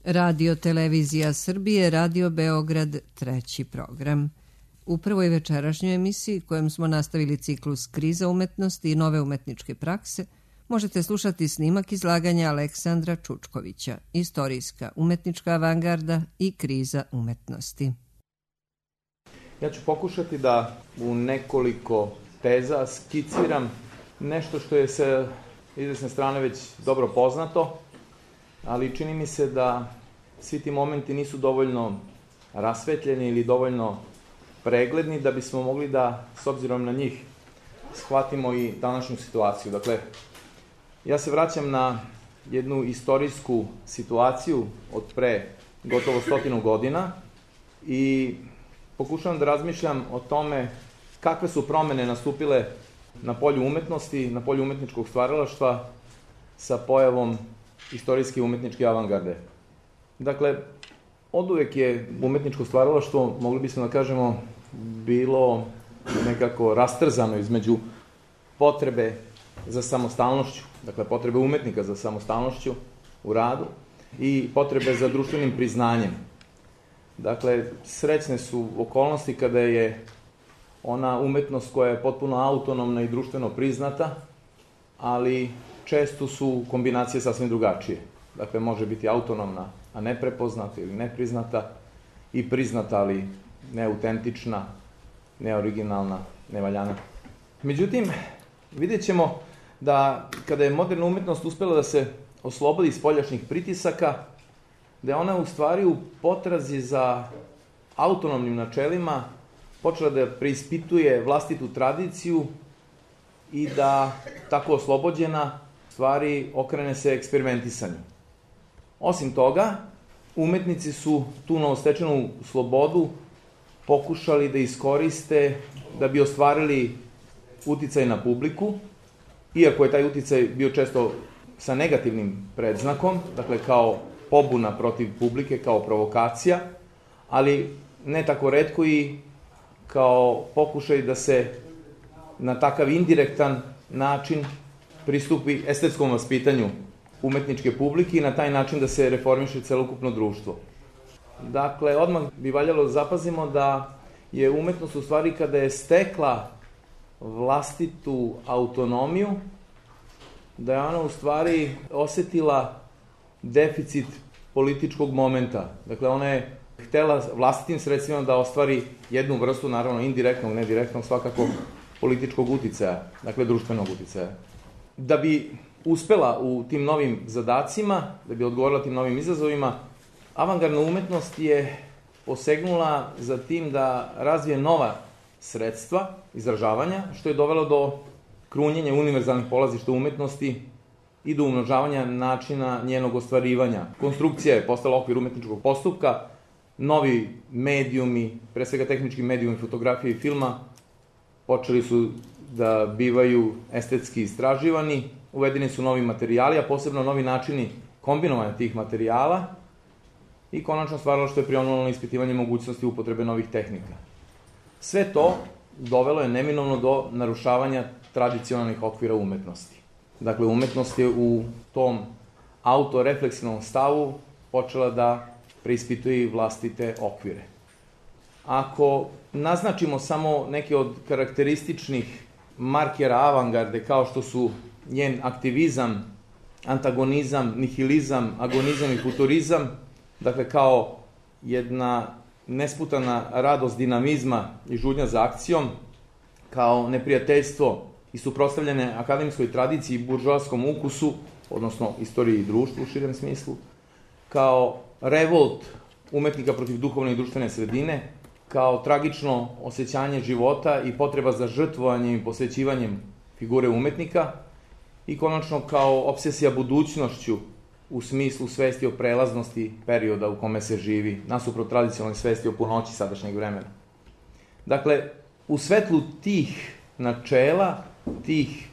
Radio Televizija Srbije, Radio Beograd, treći program. U prvoj večerašnjoj emisiji, kojem smo nastavili ciklus Kriza umetnosti i nove umetničke prakse, možete slušati snimak izlaganja Aleksandra Čučkovića, Istorijska umetnička avangarda i kriza umetnosti. Ja ću pokušati da u nekoliko teza skiciram nešto što je sa izvesne strane već dobro poznato, ali čini mi se da svi ti momenti nisu dovoljno rasvetljeni ili dovoljno pregledni da bismo mogli da, s obzirom na njih, shvatimo i današnju situaciju. Dakle, ja se vraćam na jednu istorijsku situaciju od pre gotovo 100 godina i pokušavam da razmišljam o tome kakve su promene nastupile na polju umetnosti, na polju umetničkog stvaralaštva sa pojavom istorijske umetničke avangarde. Dakle, oduvek je umetničko stvaralaštvo, mogli bismo da kažemo, bilo nekako rastrzano između potrebe za samostalnošću, dakle potrebe umetnika za samostalnošću u radu i potrebe za društvenim priznanjem. Dakle, srećne su okolnosti kada je ona umetnost koja je potpuno autonomna i društveno priznata, ali često su kombinacije sasvim drugačije. Dakle, može biti autonomna, a ne prepoznata ili nepriznata, i priznata, ali neautentična, neoriginalna, nevaljana. Međutim, vidjet ćemo da kada je moderna umetnost uspela da se oslobodi iz spoljašnjih pritisaka, da je ona u stvari u potrazi za autonomnim načelima počela da preispituje vlastitu tradiciju i da, tako oslobođena, stvari okrene se eksperimentisanju. Osim toga, umetnici su tu novostečenu slobodu pokušali da iskoriste da bi ostvarili uticaj na publiku, iako je taj uticaj bio često sa negativnim predznakom, dakle kao pobuna protiv publike, kao provokacija, ali ne tako retko i kao pokušaj da se na takav indirektan način pristupi estetskom vaspitanju umetničke publike i na taj način da se reformiše celokupno društvo. Dakle, odmah bi valjalo da zapazimo da je umetnost u stvari kada je stekla vlastitu autonomiju, da je ona u stvari osetila deficit političkog momenta. Dakle, ona je htela vlastitim sredstvima da ostvari jednu vrstu, naravno indirektnog, ne direktnog, svakako političkog uticaja, dakle društvenog uticaja. Da bi uspela u tim novim zadacima, da bi odgovorila tim novim izazovima, avangardna umetnost je posegnula za tim da razvije nova sredstva izražavanja, što je dovelo do krunjenja univerzalnih polazišta umetnosti i do umnožavanja načina njenog ostvarivanja. Konstrukcija je postala okvir umetničkog postupka, novi medijumi, pre svega tehnički medijumi fotografije i filma, počeli su da bivaju estetski istraživani, uvedeni su novi materijali, a posebno novi načini kombinovanja tih materijala i konačno stvaralaštvo je prionulo na ispitivanje mogućnosti upotrebe novih tehnika. Sve to dovelo je neminovno do narušavanja tradicionalnih okvira umetnosti. Dakle, umetnost je u tom autorefleksivnom stavu počela da preispituje vlastite okvire. Ako naznačimo samo neke od karakterističnih markera avangarde, kao što su njen aktivizam, antagonizam, nihilizam, agonizam i futurizam, dakle kao jedna nesputana radost dinamizma i žudnja za akcijom, kao neprijateljstvo i suprotstavljene akademskoj tradiciji i buržoaskom ukusu, odnosno istoriji i društvu u širem smislu, kao revolt umetnika protiv duhovne i društvene sredine, kao tragično osjećanje života i potreba za žrtvovanjem i posvećivanjem figure umetnika i konačno kao obsesija budućnošću u smislu svesti o prelaznosti perioda u kome se živi, nasuprot tradicionalne svesti o punoći sadašnjeg vremena. Dakle, u svetlu tih načela, tih,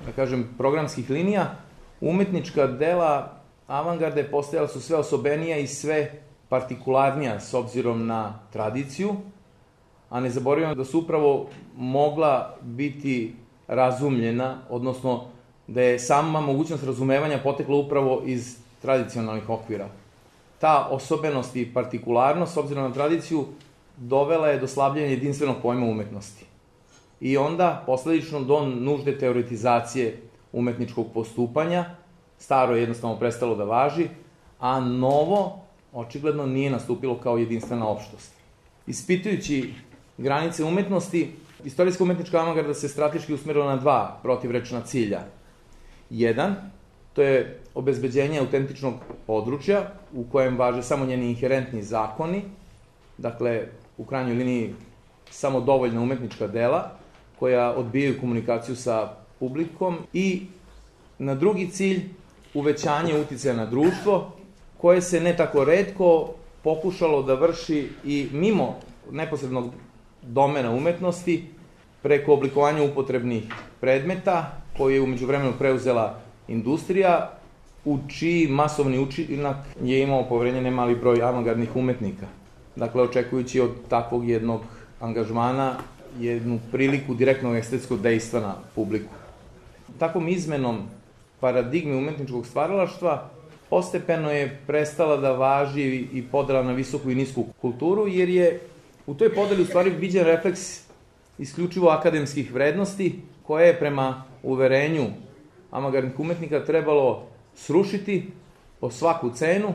da kažem, programskih linija, umetnička dela avangarde postajala su sve osobenija i sve partikularnija s obzirom na tradiciju, a ne zaboravimo da su upravo mogla biti razumljena, odnosno da je sama mogućnost razumevanja potekla upravo iz tradicionalnih okvira. ta osobenost i partikularnost, s obzirom na tradiciju, dovela je do slabljenja jedinstvenog pojma umetnosti. I onda, posledično, do nužde teoretizacije umetničkog postupanja, staro je jednostavno prestalo da važi, a novo, očigledno, nije nastupilo kao jedinstvena opštost. Ispitujući granice umetnosti, istorijska umetnička avangarda se strateški usmerila na dva protivrečna cilja. Jedan, to je obezbeđenje autentičnog područja u kojem važe samo njeni inherentni zakoni, dakle, u krajnjoj liniji samo dovoljna umetnička dela koja odbijaju komunikaciju sa publikom, i na drugi cilj uvećanje uticaja na društvo, koje se ne tako retko pokušalo da vrši i mimo neposrednog domena umetnosti, preko oblikovanja upotrebnih predmeta, koje je umeđu vremenu preuzela industrija, u čiji masovni učinak je imao poverenje nemali broj avangardnih umetnika. Dakle, očekujući od takvog jednog angažmana jednu priliku direktnog estetskog dejstva na publiku. Takvom izmenom paradigme umetničkog stvaralaštva postepeno je prestala da važi i podela na visoku i nisku kulturu, jer je u toj podeli u stvari viđen refleks isključivo akademskih vrednosti, koje je prema uverenju avangardnih umetnika trebalo srušiti po svaku cenu,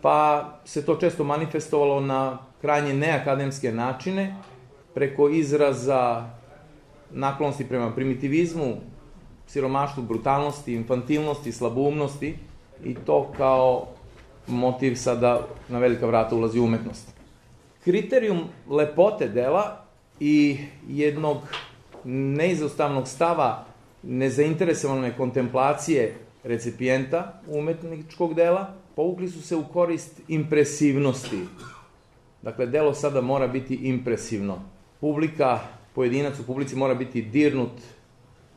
pa se to često manifestovalo na krajnje neakademske načine, preko izraza naklonosti prema primitivizmu, siromaštvu, brutalnosti, infantilnosti, slaboumnosti, i to kao motiv sada na velika vrata ulazi umetnost. Kriterijum lepote dela i jednog neizostavnog stava nezainteresovane kontemplacije recipijenta umetničkog dela povukli su se u korist impresivnosti. Dakle, delo sada mora biti impresivno. Publika, pojedinac u publici mora biti dirnut,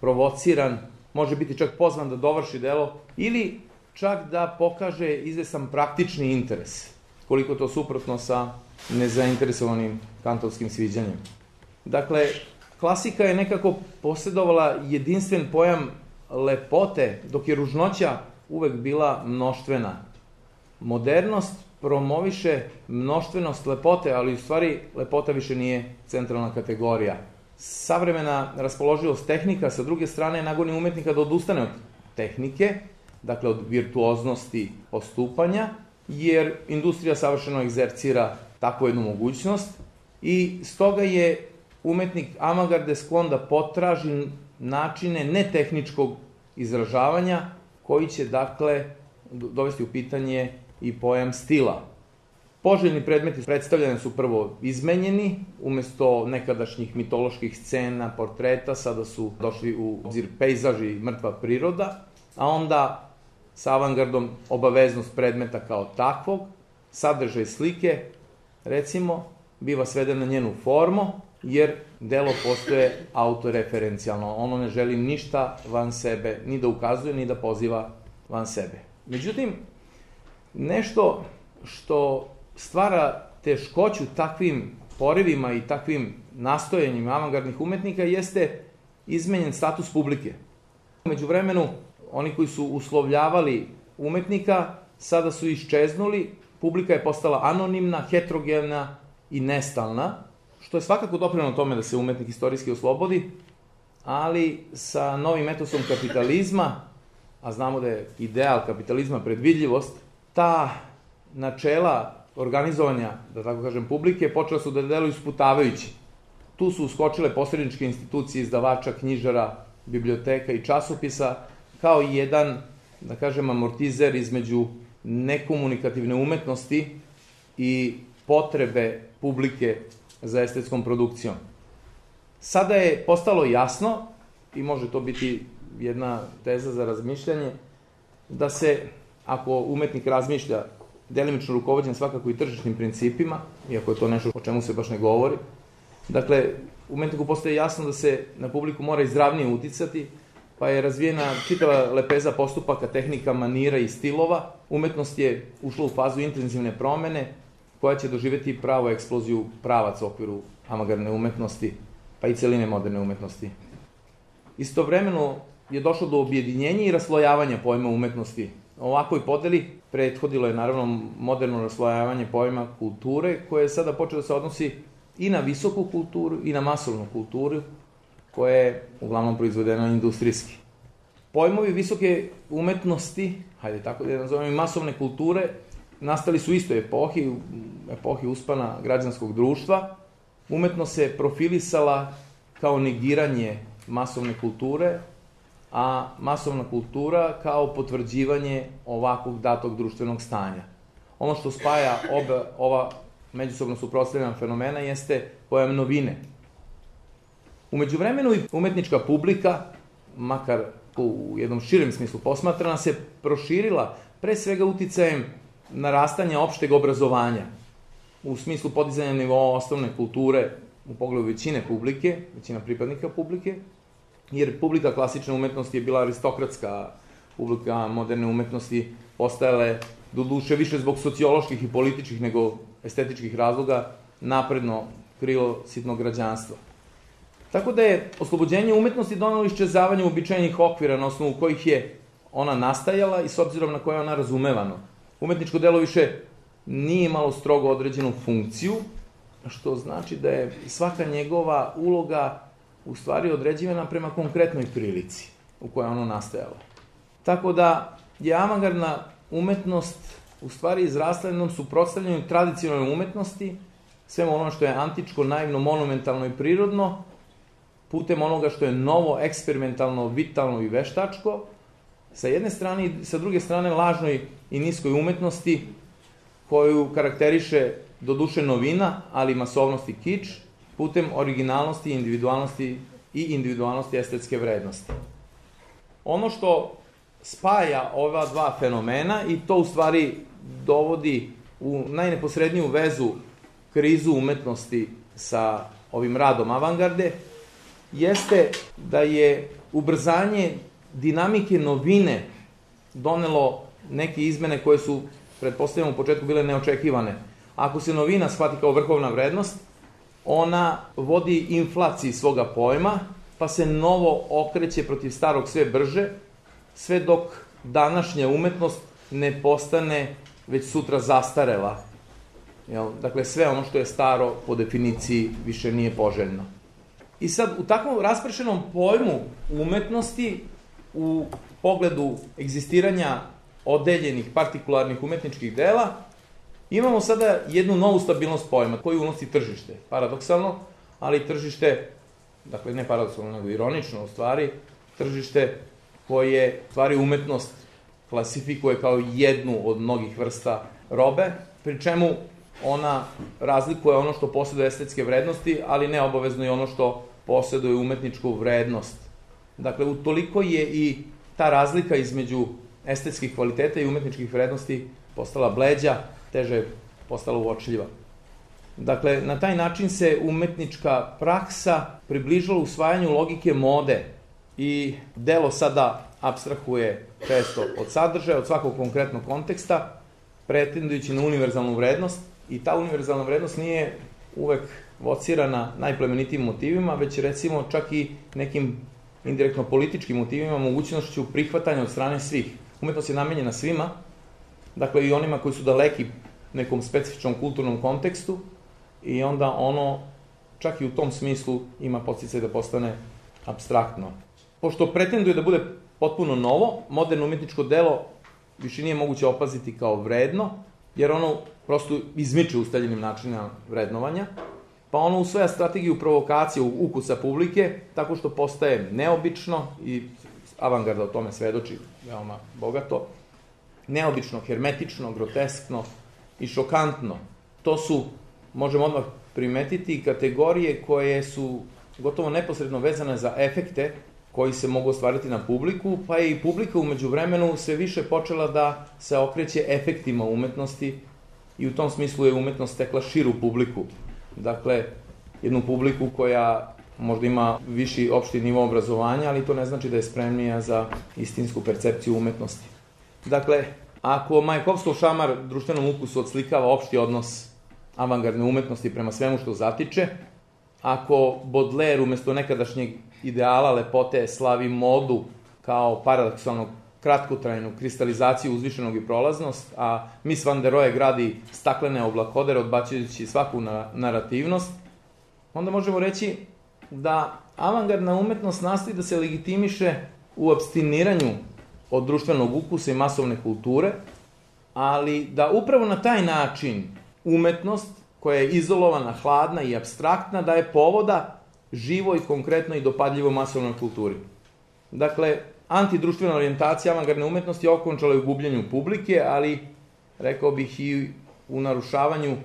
provociran, može biti čak pozvan da dovrši delo ili čak da pokaže izvestan praktični interes, koliko to suprotno sa nezainteresovanim kantovskim sviđanjem. Dakle, klasika je nekako posjedovala jedinstven pojam lepote, dok je ružnoća uvek bila mnoštvena. Modernost promoviše mnoštvenost lepote, ali u stvari lepota više nije centralna kategorija. Savremena raspoloživost tehnika, sa druge strane, nagoni umetnika da odustane od tehnike, dakle od virtuoznosti postupanja, jer industrija savršeno egzercira takvu jednu mogućnost i stoga je umetnik avangarde sklon da potraži načine netehničkog izražavanja koji će, dakle, dovesti u pitanje i pojam stila. Poželjni predmeti predstavljeni su prvo izmenjeni, umesto nekadašnjih mitoloških scena, portreta, sada su došli u obzir pejzaži i mrtva priroda, a onda sa avangardom obaveznost predmeta kao takvog, sadržaj slike, recimo, biva sveden na njenu formu, jer delo postoje autoreferencijalno. Ono ne želi ništa van sebe, ni da ukazuje, ni da poziva van sebe. Međutim, nešto što stvara teškoću takvim porivima i takvim nastojanjima avangardnih umetnika jeste izmenjen status publike. Među vremenu, oni koji su uslovljavali umetnika sada su iščeznuli, publika je postala anonimna, heterogena i nestalna, što je svakako doprinelo tome da se umetnik istorijski oslobodi, ali sa novim etosom kapitalizma, a znamo da je ideal kapitalizma predvidljivost, ta načela organizovanja, da tako kažem, publike, počela su da deluju sputavajući. Tu su uskočile posredničke institucije izdavača, knjižara, biblioteka i časopisa, kao jedan, da kažem, amortizer između nekomunikativne umetnosti i potrebe publike za estetskom produkcijom. Sada je postalo jasno, i može to biti jedna teza za razmišljanje, da se, ako umetnik razmišlja delimično rukovođen svakako i tržišnim principima, iako je to nešto o čemu se baš ne govori, dakle, umetniku postaje jasno da se na publiku mora izravnije uticati, pa je razvijena čitava lepeza postupaka, tehnika, manira i stilova. Umetnost je ušla u fazu intenzivne promene, koja će doživjeti pravu eksploziju pravaca u okviru avangardne umetnosti, pa i celine moderne umetnosti. Istovremeno je došlo do objedinjenja i raslojavanja pojma umetnosti ovakvoj podeli prethodilo je naravno moderno raslojavanje pojma kulture, koje je sada počelo da se odnosi i na visoku kulturu i na masovnu kulturu, koja je uglavnom proizvedena industrijski. Pojmovi visoke umetnosti, hajde tako da je nazovem, i masovne kulture, nastali su u istoj epohi, u epohi uspana građanskog društva. Umetnost se profilisala kao negiranje masovne kulture, a masovna kultura kao potvrđivanje ovakvog datog društvenog stanja. Ono što spaja ova međusobno suprotstavljena fenomena jeste pojam novine. U međuvremenu i umetnička publika, makar u jednom širem smislu posmatrana, se proširila pre svega uticajem narastanja opšteg obrazovanja, u smislu podizanja nivoa osnovne kulture u pogledu većine publike, većina pripadnika publike, jer publika klasične umetnosti je bila aristokratska, publika moderne umetnosti postajala je, doduše više zbog socioloških i političkih nego estetičkih razloga, napredno krilo sitnog građanstva. Tako da je oslobođenje umetnosti donelo iščezavanje uobičajenih okvira na osnovu kojih je ona nastajala i s obzirom na koje je ona razumevano. Umetničko delo više nije imalo strogo određenu funkciju, što znači da je svaka njegova uloga u stvari određivana prema konkretnoj prilici u kojoj ono nastajalo. Tako da je avangardna umetnost u stvari izrasla jednom suprotstavljanju tradicionalne umetnosti, svemu ono što je antičko, naivno, monumentalno i prirodno, putem onoga što je novo, eksperimentalno, vitalno i veštačko, sa jedne strane i sa druge strane lažnoj i niskoj umetnosti, koju karakteriše doduše novina, ali masovnost i kič, putem originalnosti i individualnosti estetske vrednosti. Ono što spaja ova dva fenomena, i to u stvari dovodi u najneposredniju vezu krizu umetnosti sa ovim radom avangarde, jeste da je ubrzanje dinamike novine donelo neke izmene koje su, pretpostavljamo, u početku bile neočekivane. Ako se novina shvati kao vrhovna vrednost, ona vodi inflaciji svoga pojma, pa se novo okreće protiv starog sve brže, sve dok današnja umetnost ne postane već sutra zastarela. Dakle, sve ono što je staro po definiciji više nije poželjno. I sad, u takvom raspršenom pojmu umetnosti, u pogledu egzistiranja odeljenih, partikularnih umetničkih dela, imamo sada jednu novu stabilnost pojma koju unosi tržište. Paradoksalno, ali tržište, dakle ne paradoksalno, nego ironično u stvari, tržište koje stvari umetnost klasifikuje kao jednu od mnogih vrsta robe, pri čemu ona razlikuje ono što posjeduje estetske vrednosti, ali ne obavezno i ono što posjeduje umetničku vrednost. Dakle, utoliko je i ta razlika između estetskih kvaliteta i umetničkih vrednosti postala bleđa, teže je postala uočljiva. Dakle, na taj način se umetnička praksa približila usvajanju logike mode i delo sada apstrahuje često od sadržaja, od svakog konkretnog konteksta, pretendujući na univerzalnu vrednost, i ta univerzalna vrednost nije uvek vocirana najplemenitijim motivima, već recimo čak i nekim indirektno političkim motivima, mogućnošću prihvatanja od strane svih. Umetnost je namenjena svima, dakle i onima koji su daleki nekom specifičnom kulturnom kontekstu, i onda ono čak i u tom smislu ima podsticaj da postane apstraktno. Pošto pretenduje da bude potpuno novo, moderno umetničko delo više nije moguće opaziti kao vredno, jer ono prosto izmiče ustaljenim načinima vrednovanja, pa ono usvaja strategiju provokacije ukusa publike, tako što postaje neobično, i avangarda o tome svedoči veoma bogato, neobično, hermetično, groteskno i šokantno. To su, možemo odmah primetiti, kategorije koje su gotovo neposredno vezane za efekte koji se mogu ostvariti na publiku, pa je i publika umeđu vremenu sve više počela da se okreće efektima umetnosti, i u tom smislu je umetnost stekla širu publiku. Dakle, jednu publiku koja možda ima viši opšti nivo obrazovanja, ali to ne znači da je spremnija za istinsku percepciju umetnosti. Dakle, ako Majakovskov šamar društvenom ukusu odslikava opšti odnos avangardne umetnosti prema svemu što zatiče, ako Baudelaire umesto nekadašnjeg ideala lepote slavi modu kao paradoksalnog kratkotrajnu kristalizaciju, uzvišenog i prolaznost, a Mies van der Rohe gradi staklene oblakodere odbacujući svaku narativnost, onda možemo reći da avangardna umetnost nastoji da se legitimiše u apstiniranju od društvenog ukusa i masovne kulture, ali da upravo na taj način umetnost, koja je izolovana, hladna i apstraktna, daje povoda živoj, konkretno i dopadljivo masovnoj kulturi. Dakle, antidruštvena orijentacija avangardne umetnosti okončala je u gubljenju publike, ali, rekao bih, i u narušavanju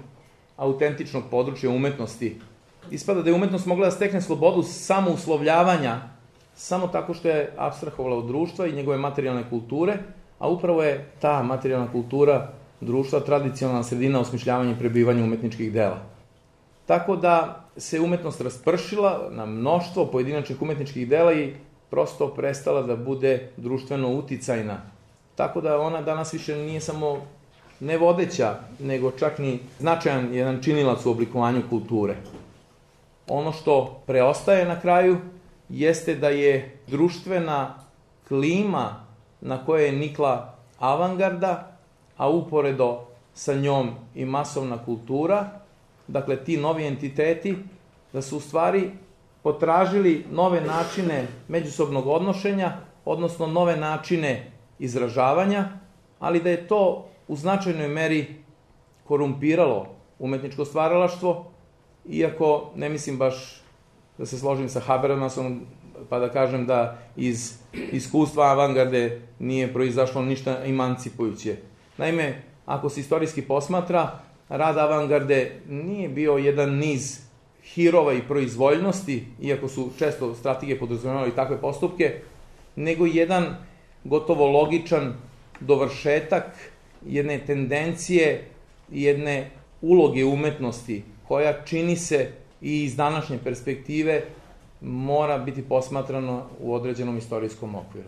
autentičnog područja umetnosti. Ispada da je umetnost mogla da stekne slobodu samouslovljavanja samo tako što je apstrahovala od društva i njegove materijalne kulture, a upravo je ta materijalna kultura društva tradicionalna sredina osmišljavanja i prebivanja umetničkih dela. Tako da se umetnost raspršila na mnoštvo pojedinačnih umetničkih dela i prosto prestala da bude društveno uticajna. Tako da ona danas više nije samo nevodeća, nego čak ni značajan jedan činilac u oblikovanju kulture. Ono što preostaje na kraju jeste da je društvena klima na kojoj je nikla avangarda, a uporedo sa njom i masovna kultura, dakle ti novi entiteti, da su u stvari potražili nove načine međusobnog odnošenja, odnosno nove načine izražavanja, ali da je to u značajnoj meri korumpiralo umetničko stvaralaštvo, iako ne mislim baš da se složim sa Habermasom, pa da kažem da iz iskustva avangarde nije proizašlo ništa emancipujuće. Naime, ako se istorijski posmatra, rad avangarde nije bio jedan niz hirova i proizvoljnosti, iako su često strategije podrazumevali takve postupke, nego jedan gotovo logičan dovršetak jedne tendencije, jedne uloge umetnosti, koja čini se i iz današnje perspektive mora biti posmatrano u određenom istorijskom okviru.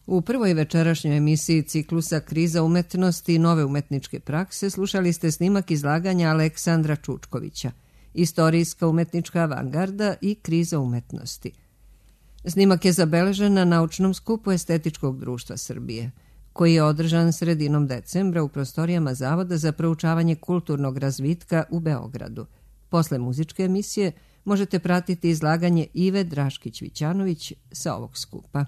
U prvoj večerašnjoj emisiji ciklusa Kriza umetnosti i nove umetničke prakse slušali ste snimak izlaganja Aleksandra Čučkovića, Istorijska umetnička avangarda i kriza umetnosti. Snimak je zabeležen na naučnom skupu Estetičkog društva Srbije, koji je održan sredinom decembra u prostorijama Zavoda za proučavanje kulturnog razvitka u Beogradu. Posle muzičke emisije možete pratiti izlaganje Ive Draškić-Vićanović sa ovog skupa.